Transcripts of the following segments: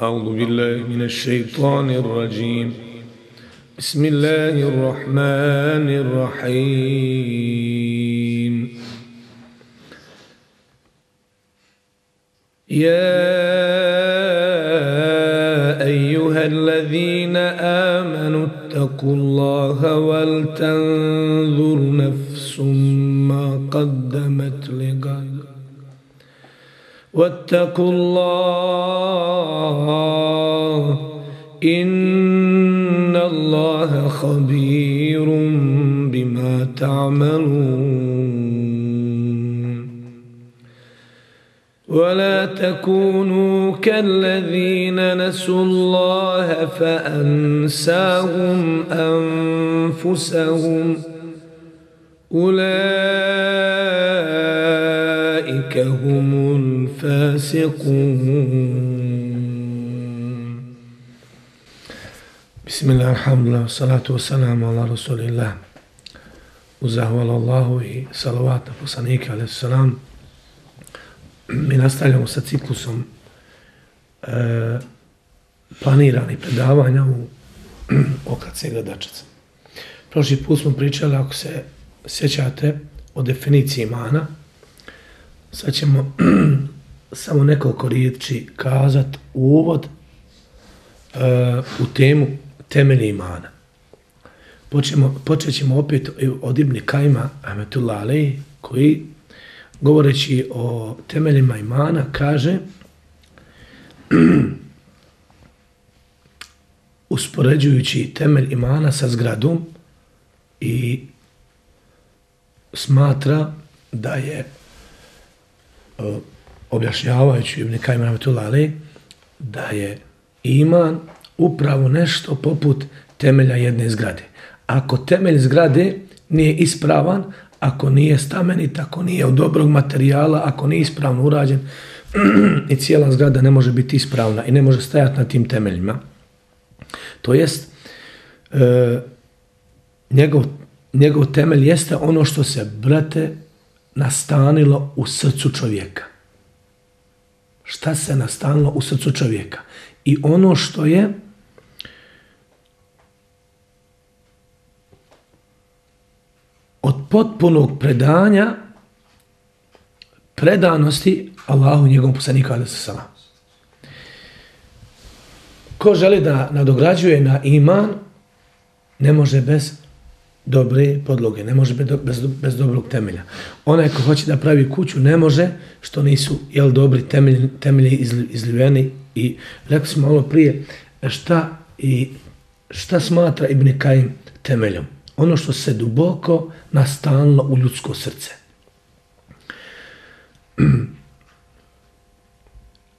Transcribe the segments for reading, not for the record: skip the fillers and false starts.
أعوذ بالله من الشيطان الرجيم بسم الله الرحمن الرحيم يا أيها الذين آمنوا اتقوا الله ولتنظر نفس ما قدمت لغد واتقوا الله إن الله خبير بما تعملون ولا تكونوا كالذين نسوا الله فأنساهم أنفسهم أولئك هم الفاسقون بسم الله الحمد لله والصلاة والسلام على رسول الله وزهوال الله i salavat na poslanika alejhi selam. Mi nastavljamo sa ciklusom planiranih predavanja u OKC Gradačac. Prošli put smo pričali, ako se sjećate, o definiciji imana. Sad ćemo samo nekoliko riječi kazati u uvod u temu temelji imana. Počet ćemo opet od Ibn Kajima rahmetullahi alejhi, koji govoreći o temeljima imana kaže uspoređujući temelj imana sa zgradom i smatra da je objašnjavajući Ibn Kajim rahmetullahi alejhi da je iman upravo nešto poput temelja jedne zgrade. Ako temelj zgrade nije ispravan, ako nije stamenit, ako nije od dobrog materijala, ako nije ispravno urađen, i cijela zgrada ne može biti ispravna i ne može stajati na tim temeljima. To jest, njegov temelj jeste ono što se, brate, nastanilo u srcu čovjeka. Šta se nastanilo u srcu čovjeka? I ono što je od potpunog predanja, predanosti Allahu i njegovom poslaniku alejhi selam. Ko želi da nadograđuje na iman, ne može bez dobre podloge, ne može bez dobrog temelja. Onaj ko hoće da pravi kuću, ne može što nisu dobri temelji izliveni. I rekli smo malo prije šta smatra Ibn Kajim temeljom. Ono što se duboko nastanilo u ljudsko srce.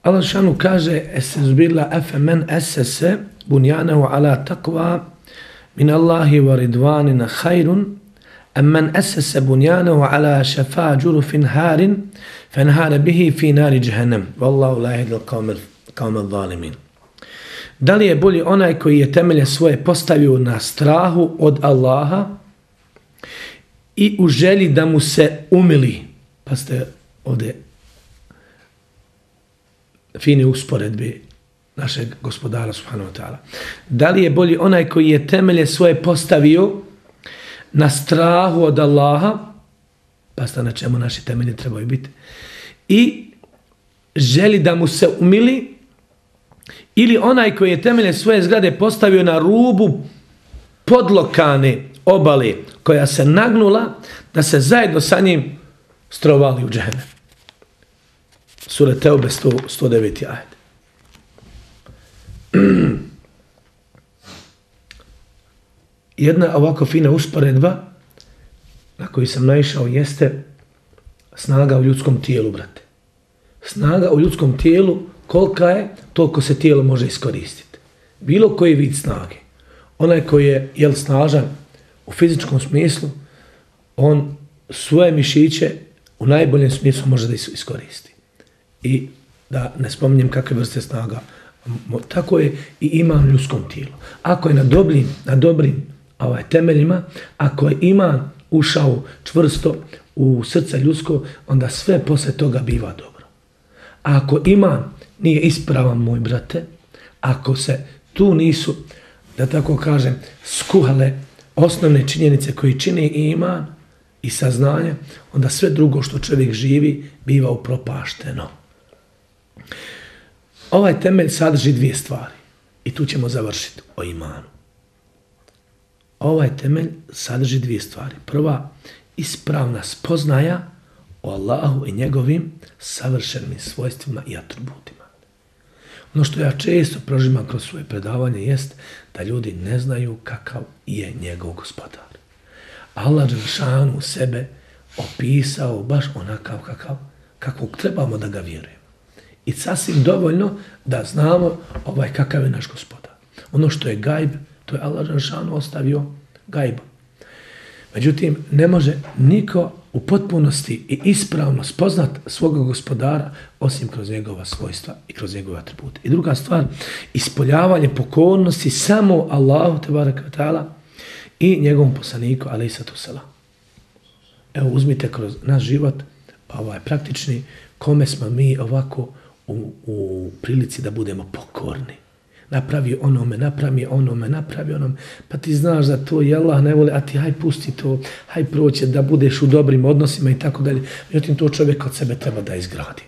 Allah šanu kaže esezbila efemen esese bunjanehu ala taqwa min Allahi wa ridwanina khairun amman esese bunjanehu ala šafa džurufin harin fenhara bihi fi nari jahannam wallahu la yahdil qawmal zalimin. Da li je bolji onaj koji je temelje svoje postavio na strahu od Allaha i u želji da mu se umili? Pa ste ovdje fine usporedbe našeg gospodara subhanahu wa ta'ala. Da li je bolji onaj koji je temelje svoje postavio na strahu od Allaha, pa ste na čemu naši temelji trebaju biti, i želi da mu se umili, ili onaj koji je temelje svoje zgrade postavio na rubu podlokane obale koja se nagnula da se zajedno sa njim strovali u džehennem. Sura Teube 109. ajet. Jedna ovako fina usporedba na koju sam naišao jeste snaga u ljudskom tijelu, brate. Snaga u ljudskom tijelu, kolika je, toliko se tijelo može iskoristiti. Bilo koji vid snage. Onaj koji je snažan u fizičkom smislu, on svoje mišiće u najboljem smislu može da iskoristi. I da ne spominjem kakve vrste snaga. Tako je i iman u ljudskom tijelu. Ako je na dobrim temeljima, ako je iman ušao čvrsto u srce ljudsko, onda sve posle toga biva dobro. A ako iman nije ispravan, moj brate, ako se tu nisu, da tako kažem, skuhale osnovne činjenice koji čine iman i saznanje, onda sve drugo što čovjek živi biva upropašteno. Ovaj temelj sadrži dvije stvari i tu ćemo završiti o imanu. Ovaj temelj sadrži dvije stvari. Prva, ispravna spoznaja o Allahu i njegovim savršenim svojstvima i atributima. Ono što ja često prožimam kroz svoje predavanje jest da ljudi ne znaju kakav je njegov gospodar. Allah dželešanu sebe opisao baš onakav kakvog trebamo da ga vjerujemo. I sasvim dovoljno da znamo kakav je naš gospodar. Ono što je gajb, to je Allah dželešanu ostavio gajbom. Međutim, ne može niko u potpunosti i ispravno spoznat svoga gospodara osim kroz njegova svojstva i kroz njegove atribute. I druga stvar, ispoljavanje pokornosti samo Allahu tebareke ve taala i njegovom poslaniku alejhiselatu selam. Evo uzmite kroz naš život praktični kome smo mi ovako u prilici da budemo pokorni. Napravi onome, pa ti znaš da to i Allah ne voli, a ti haj pusti to, haj proće da budeš u dobrim odnosima i tako dalje. Međutim, to čovjek od sebe treba da izgradi.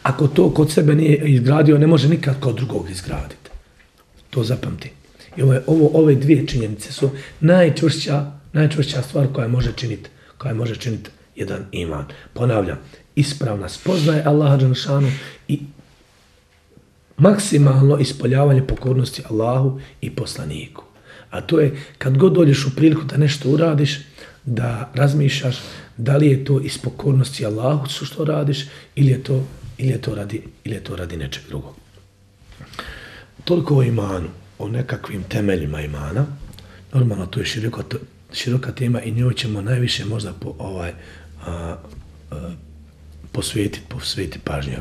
Ako to kod sebe nije izgradio, ne može nikad kod drugog izgraditi. To zapamti. I ove dvije činjenice su najčvršća stvar koja može činiti jedan iman. Ponavljam, ispravna spoznaje Allaha dželešanu i maksimalno ispoljavanje pokornosti Allahu i poslaniku. A to je kad god dođeš u priliku da nešto uradiš, da razmišljaš da li je to iz pokornosti Allahu što radiš ili je to radi nečeg drugog. Toliko o imanu, o nekakvim temeljima imana. Normalno to je široka tema i njoj ćemo najviše možda posvetiti pažnju.